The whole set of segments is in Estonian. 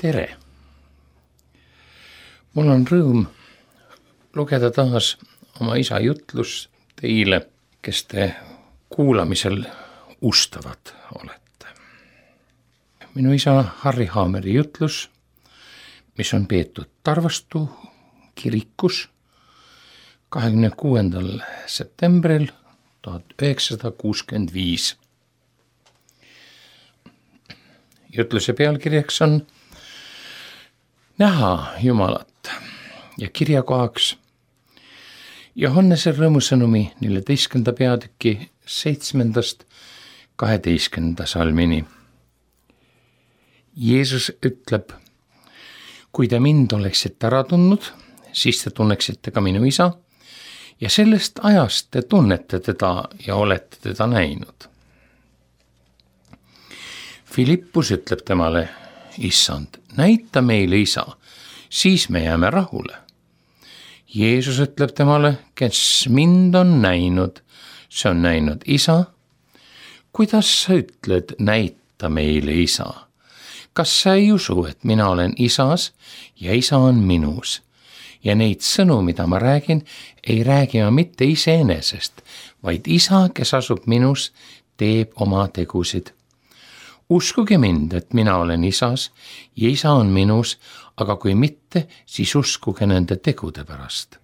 tere! Mul on rõõm lugeda taas oma isa jutlus teile, kes te kuulamisel ustavad olete. Minu isa Harri Haameri jutlus, mis on peetud Tarvastu kirikus 26. septembril 1965. Jutluse pealkirjaks on Näha Jumalat ja kirjakohaks Johannese rõõmusõnumi 14. peatüki 7-12 salmini. Jeesus ütleb, kui te mind oleksite ära tundnud, siis te tunneksite ka minu isa ja sellest ajast te tunnete teda ja olete teda näinud. Filippus ütleb temale, Issand, näita meile isa, siis me jääme rahule. Jeesus ütleb temale, kes mind on näinud, see on näinud isa. Kuidas sa ütled, näita meile isa? Kas sa ei usu, et mina olen isas ja isa on minus? Ja neid sõnu, mida ma räägin, ei räägi ma mitte iseenesest, vaid isa, kes asub minus, teeb oma tegusid. Uskuge mind, et mina olen isas ja isa on minus, aga kui mitte, siis uskuge nende tegude pärast.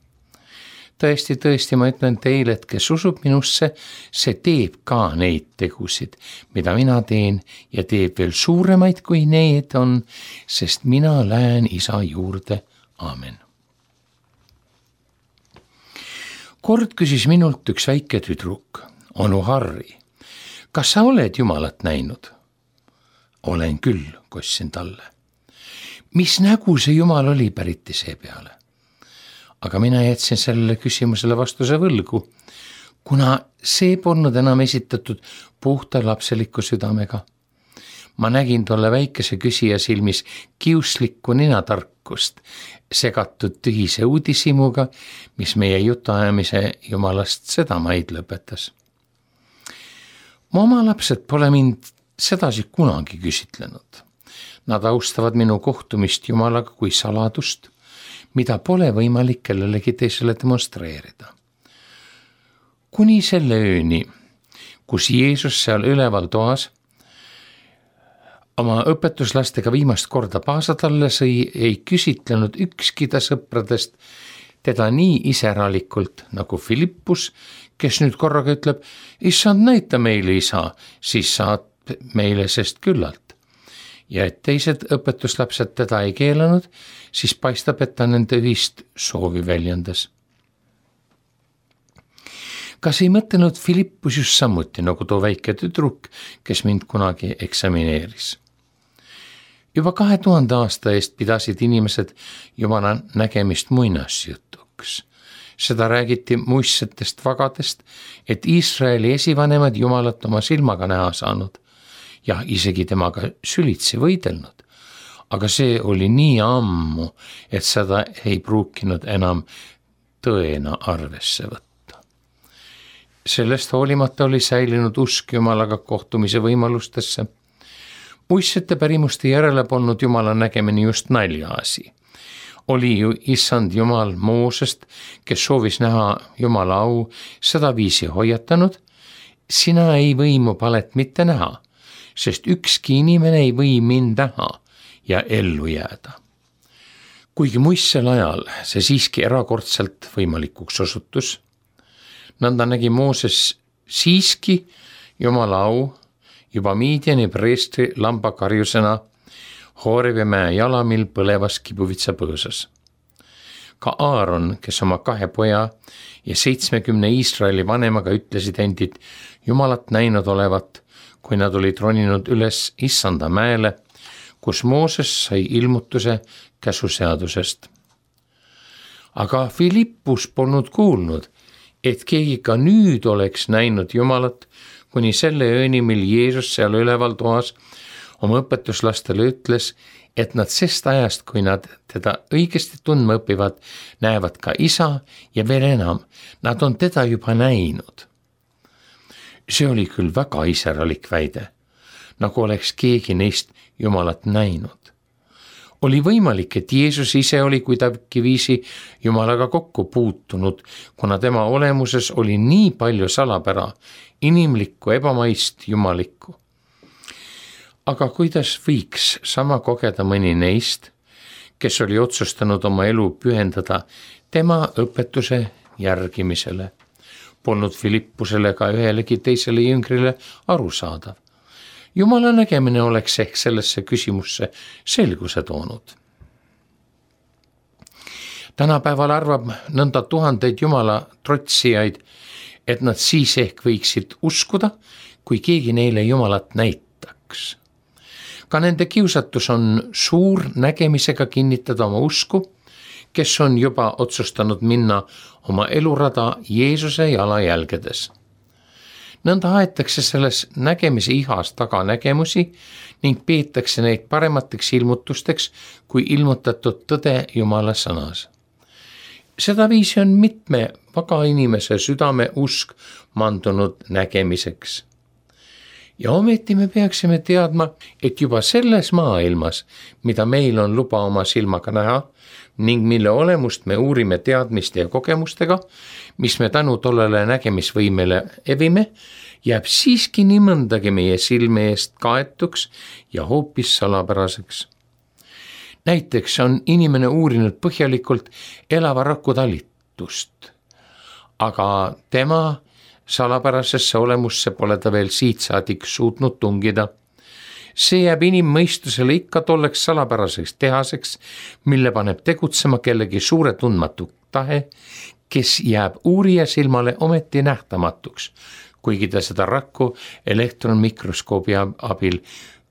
Tõesti, ma ütlen teile, et kes usub minusse, see teeb ka neid tegusid, mida mina teen ja teeb veel suuremaid kui need on, sest mina lähen isa juurde. Aamen. Kord küsis minult üks väike tüdruk, onu Harri, kas sa oled Jumalat näinud? Olen küll, kostsin talle. Mis nägu see Jumal oli, päriti see peale? Aga mina jätsin sellele küsimusele vastuse võlgu, kuna see polnud enam esitatud puhta lapseliku südamega. Ma nägin tolle väikese küsija silmis kiuslikku ninatarkust, segatud tühise uudishimuga, mis meie jutuajamise Jumalast sedamaid lõpetas. Mu oma lapsed pole mind sedasi kunagi küsitlenud. Nad austavad minu kohtumist Jumalaga kui saladust, mida pole võimalik kellelegi teisele demonstreerida. Kuni selle ööni, kus Jeesus seal üleval toas oma õpetuslastega viimast korda paasa talle sõi, ei küsitlenud ükski ta sõpradest teda nii iseralikult nagu Filippus, kes nüüd korraga ütleb, Issand, näita meile isa, siis saad meile sest küllalt. Ja et teised õpetuslapsed teda ei keelanud, siis paistab, et ta nende ühist soovi väljendas. Kas ei mõtelnud Filippus just samuti nagu too väike tüdruk, kes mind kunagi eksamineeris? Juba 2000 aasta eest pidasid inimesed Jumala nägemist muinasjutuks. Seda räägiti muistsetest vagadest, et Iisraeli esivanemad Jumalat oma silmaga näha saanud ja isegi temaga sülitsi võidelnud. Aga see oli nii ammu, et seda ei pruukinud enam tõena arvesse võtta. Sellest hoolimata oli säilinud usk Jumalaga kohtumise võimalustesse. Muistsete pärimuste järele polnud Jumala nägemine just naljaasi. Oli ju Issand Jumal Moosest, kes soovis näha Jumala au, seda viisi hoiatanud, sina ei või mu palet mitte näha, sest ükski inimene ei või mind näha ja ellu jääda. Kuigi muistsel ajal see siiski erakordselt võimalikuks osutus, nõnda nägi Mooses siiski Jumala au juba Miidiani preestri lambakarjusena Hoorevi mäe jalamil põlevas kibuvitsa põõsas. Ka Aaron, kes oma 2 poja ja 70 Iisraeli vanemaga ütlesid endid Jumalat näinud olevat, kui nad olid roninud üles Issanda mäele, kus Mooses sai ilmutuse käsuseadusest. Aga Filippus polnud kuulnud, et keegi ka nüüd oleks näinud Jumalat, kuni selle ööni, mil Jeesus seal üleval toas oma õpetuslastele ütles, et nad sest ajast, kui nad teda õigesti tundma õpivad, näevad ka isa ja veel enam, nad on teda juba näinud. See oli küll väga iseralik väide, nagu oleks keegi neist Jumalat näinud. Oli võimalik, et Jeesus ise oli kuidagiviisi Jumalaga kokku puutunud, kuna tema olemuses oli nii palju salapära, inimlikku, ebamaist, jumalikku. Aga kuidas võiks sama kogeda mõni neist, kes oli otsustanud oma elu pühendada tema õpetuse järgimisele? Polnud Filippusele ega ühelegi teisele jüngrile arusaadav. Jumala nägemine oleks ehk sellesse küsimusse selguse toonud. Tänapäeval arvab nõnda tuhandeid Jumala trotsijaid, et nad siis ehk võiksid uskuda, kui keegi neile Jumalat näitaks. Ka nende kiusatus on suur nägemisega kinnitada oma usku, kes on juba otsustanud minna oma elurada Jeesuse jalajälgedes. Nõnda aetakse selles nägemise ihas taga nägemusi ning peetakse neid paremateks ilmutusteks kui ilmutatud tõde Jumala sõnas. Seda viisi on mitme vaga inimese südame usk mandunud nägemiseks. Ja ometi me peaksime teadma, et juba selles maailmas, mida meil on luba oma silmaga näha ning mille olemust me uurime teadmiste ja kogemustega, mis me tänu tollele nägemisvõimele evime, jääb siiski nii mõndagi meie silme eest kaetuks ja hoopis salapäraseks. Näiteks on inimene uurinud põhjalikult elava raku talitust, aga tema salapärasesse olemusse pole ta veel siidsaadik suutnud tungida. See jääb inimmõistusele ikka tolleks salapäraseks tehaseks, mille paneb tegutsema kellegi suure tundmatu tahe, kes jääb uurija silmale ometi nähtamatuks, kuigi ta seda rakku elektronmikroskoobi abil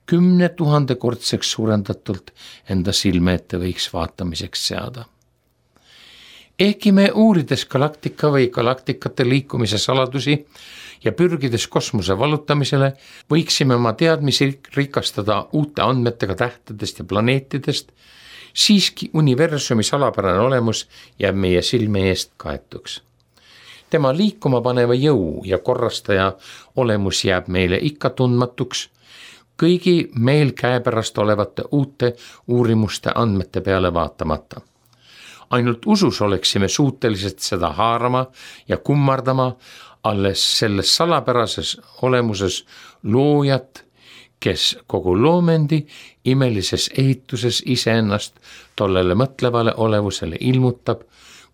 10 000 kordseks suurendatult enda silme ette võiks vaatamiseks seada. Ehkki me uurides galaktika või galaktikate liikumise saladusi ja pürgides kosmose vallutamisele, võiksime oma teadmisi rikastada uute andmetega tähtedest ja planeetidest, siiski universumi salapärane olemus jääb meie silme eest kaetuks. Tema liikuma paneva jõu ja korrastaja olemus jääb meile ikka tundmatuks, kõigi meil käepärast olevate uute uurimuste andmete peale vaatamata. Ainult usus oleksime suutelised seda haarama ja kummardama alles selles salapärases olemuses loojat, kes kogu loomendi imelises ehituses iseennast tollele mõtlevale olevusele ilmutab,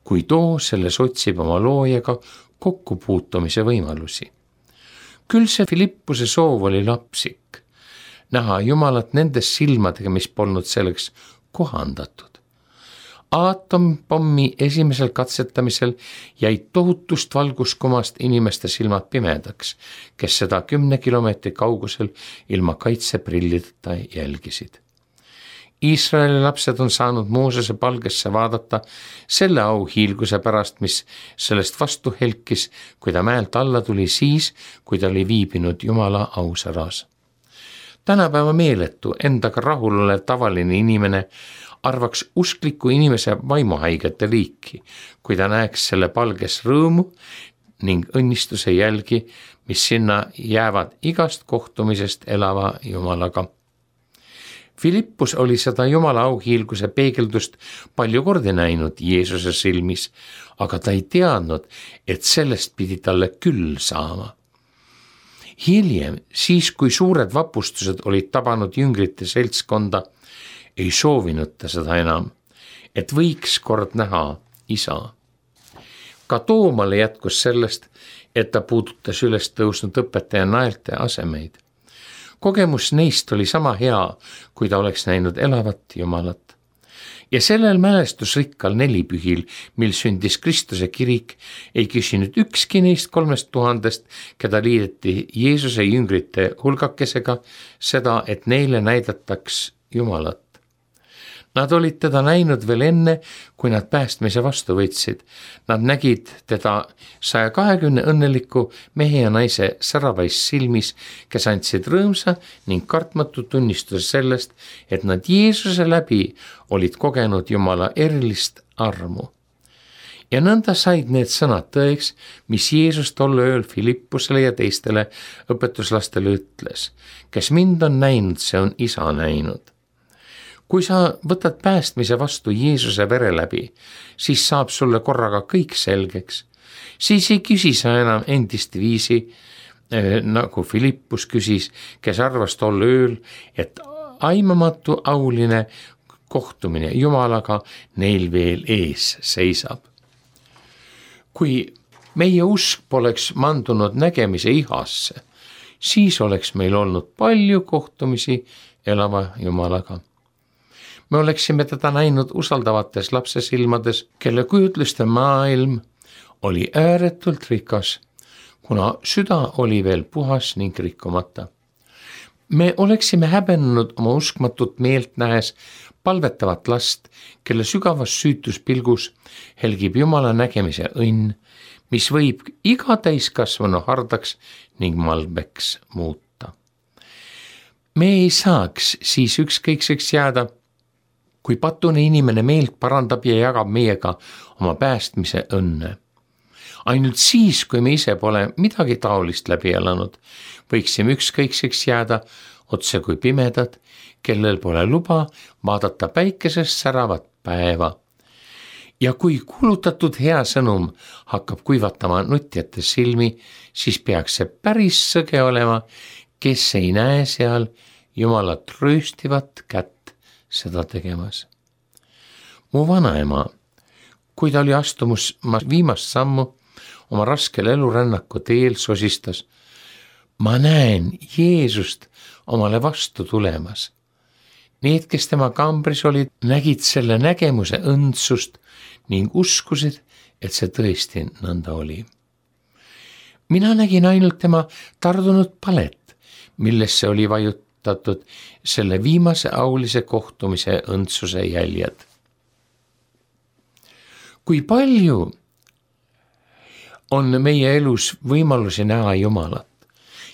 kui too selles otsib oma loojaga kokkupuutumise võimalusi. Küll see Filippuse soov oli lapsik, näha Jumalat nendes silmadega, mis polnud selleks kohandatud. Aatomipommi esimesel katsetamisel jäid tohutust valguskumast inimeste silmad pimedaks, kes seda 10 kilomeetri kaugusel ilma kaitseprillideta jälgisid. Iisraeli lapsed on saanud Moosese palgesse vaadata selle auhiilguse pärast, mis sellest vastu helkis, kui ta mäelt alla tuli siis, kui ta oli viibinud Jumala ausäras. Tänapäeva meeletu, endaga rahul olev tavaline inimene arvaks uskliku inimese vaimuhaigete liiki, kui ta näeks selle palges rõõmu ning õnnistuse jälgi, mis sinna jäävad igast kohtumisest elava Jumalaga. Filippus oli seda Jumala auhiilguse peegeldust palju kordi näinud Jeesuse silmis, aga ta ei teadnud, et sellest pidi talle küll saama. Hiljem, siis kui suured vapustused olid tabanud jüngrite seltskonda, ei soovinud ta seda enam, et võiks kord näha isa. Ka Toomale jätkus sellest, et ta puudutas üles tõusnud õpetaja naelte asemeid. Kogemus neist oli sama hea, kui ta oleks näinud elavat Jumalat. Ja sellel mälestusrikkal nelipühil, mil sündis Kristuse kirik, ei küsinud ükski neist 3000, keda liideti Jeesuse jüngrite hulgakesega, seda, et neile näidataks Jumalat. Nad olid teda näinud veel enne, kui nad päästmise vastu võtsid. Nad nägid teda 120 õnneliku mehe ja naise säravais silmis, kes andsid rõõmsa ning kartmatu tunnistuse sellest, et nad Jeesuse läbi olid kogenud Jumala erilist armu. Ja nõnda said need sõnad tõeks, mis Jeesus tol ööl Filippusele ja teistele õpetuslastele ütles. Kes mind on näinud, see on isa näinud. kui sa võtad päästmise vastu Jeesuse vere läbi, siis saab sulle korraga kõik selgeks. Siis ei küsi sa enam endist viisi, nagu Philippus küsis, kes arvas tol ööl, et aimamatu auline kohtumine Jumalaga neil veel ees seisab. Kui meie usk poleks mandunud nägemise ihasse, siis oleks meil olnud palju kohtumisi elava Jumalaga. Me oleksime teda näinud usaldavates lapse silmades, kelle kujutluste maailm oli ääretult rikas, kuna süda oli veel puhas ning rikkumata. Me oleksime häbenenud oma uskmatut meelt nähes palvetavat last, kelle sügavas süütuspilgus helgib Jumala nägemise õnn, mis võib iga täiskasvanu hardaks ning malbeks muuta. Me ei saaks siis ükskõikseks jääda, kui patune inimene meelt parandab ja jagab meiega oma päästmise õnne. Ainult siis, kui me ise pole midagi taolist läbi elanud, võiksime ükskõikseks jääda otse kui pimedad, kellel pole luba vaadata päikesest säravat päeva. Ja kui kuulutatud hea sõnum hakkab kuivatama nutjate silmi, siis peaks see päris sõge olema, kes ei näe seal Jumala trööstivat kätt seda tegemas. Mu vanaema, kui ta oli astumus viimast sammu oma raskel elurännaku teel, sosistas: ma näen Jeesust omale vastu tulemas. Need, kes tema kambris olid, nägid selle nägemuse õndsust ning uskusid, et see tõesti nõnda oli. Mina nägin ainult tema tardunud palet, millesse oli vajutatud selle viimase aulise kohtumise õndsuse jäljed. Kui palju on meie elus võimalusi näha Jumalat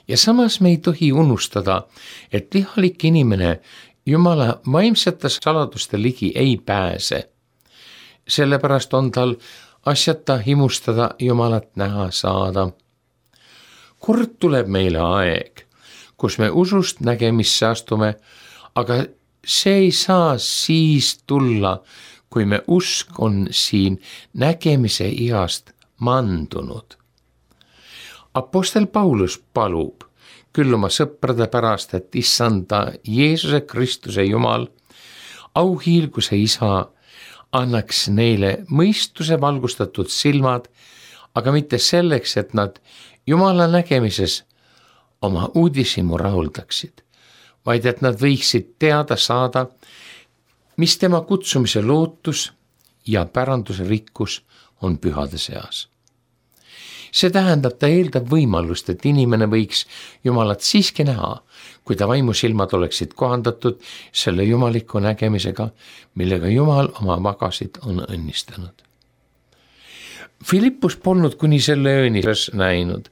ja samas me ei tohi unustada, et lihalik inimene Jumala vaimsete saladuste ligi ei pääse. Sellepärast on tal asjata himustada Jumalat näha saada. Kord tuleb meile aeg, kus me usust nägemisse astume, aga see ei saa siis tulla, kui me usk on siin nägemise ihast mandunud. Apostel Paulus palub küll oma sõprade pärast, et issanda Jeesuse Kristuse Jumal, auhiilguse isa, annaks neile mõistuse valgustatud silmad, aga mitte selleks, et nad Jumala nägemises oma uudishimu rahuldaksid, vaid et nad võiksid teada saada, mis tema kutsumise lootus ja päranduse rikkus on pühade seas. See tähendab, ta eeldab võimalust, et inimene võiks Jumalat siiski näha, kui ta vaimusilmad oleksid kohandatud selle jumaliku nägemisega, millega Jumal oma magasid on õnnistanud. Philippus polnud kuni selle ööni näinud.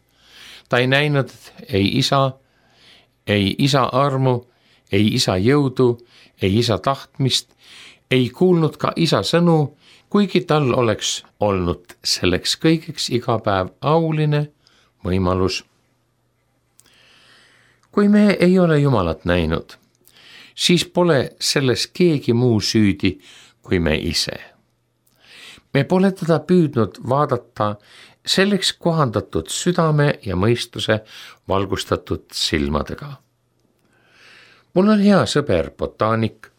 Ta ei näinud ei isa armu, ei isa jõudu, ei isa tahtmist, ei kuulnud ka isa sõnu, kuigi tal oleks olnud selleks kõigeks iga päev auline võimalus. Kui me ei ole Jumalat näinud, siis pole selles keegi muu süüdi kui me ise. Me pole teda püüdnud vaadata selleks kohandatud südame ja mõistuse valgustatud silmadega. Mul on hea sõber, botaanik.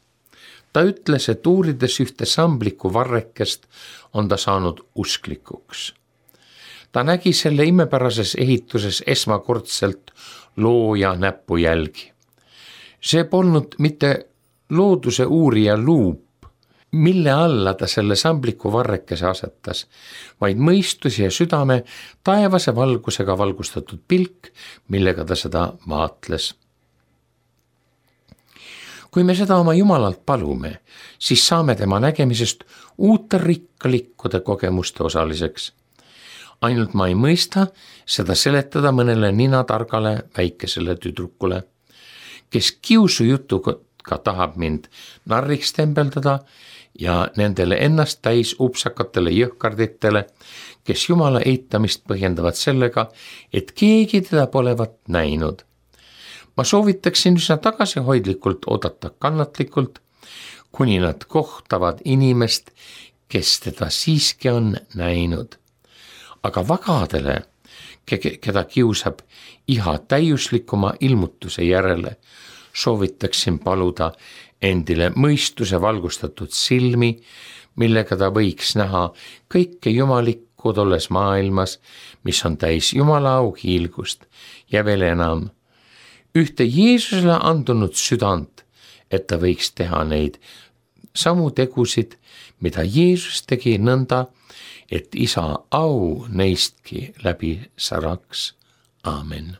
Ta ütles, et uurides ühte sambliku varrekest on ta saanud usklikuks. Ta nägi selle imepärases ehituses esmakordselt looja näpujälgi. See polnud mitte looduse uurija luup, mille alla ta selle sambliku varrekese asetas, vaid mõistuse ja südame taevase valgusega valgustatud pilk, millega ta seda vaatles. Kui me seda oma Jumalalt palume, siis saame tema nägemisest uute rikkalikkude kogemuste osaliseks. Ainult ma ei mõista seda seletada mõnele ninatargale väikesele tüdrukule, kes kiusujutuga tahab mind narriks tembeldada ja nendele ennast täis upsakatele jõhkarditele, kes Jumala eitamist põhjendavad sellega, et keegi teda polevat näinud. Ma soovitaksin üsna tagasihoidlikult oodata kannatlikult, kuni nad kohtavad inimest, kes teda siiski on näinud. Aga vagadele, keda kiusab iha täiuslikuma ilmutuse järele, soovitaksin paluda endile mõistuse valgustatud silmi, millega ta võiks näha kõike jumalikku tolles maailmas, mis on täis Jumala auhiilgust ja veel enam, ühte Jeesusele andunud südant, et ta võiks teha neid samu tegusid, mida Jeesus tegi nõnda, et isa au neistki läbi säraks. Aamen.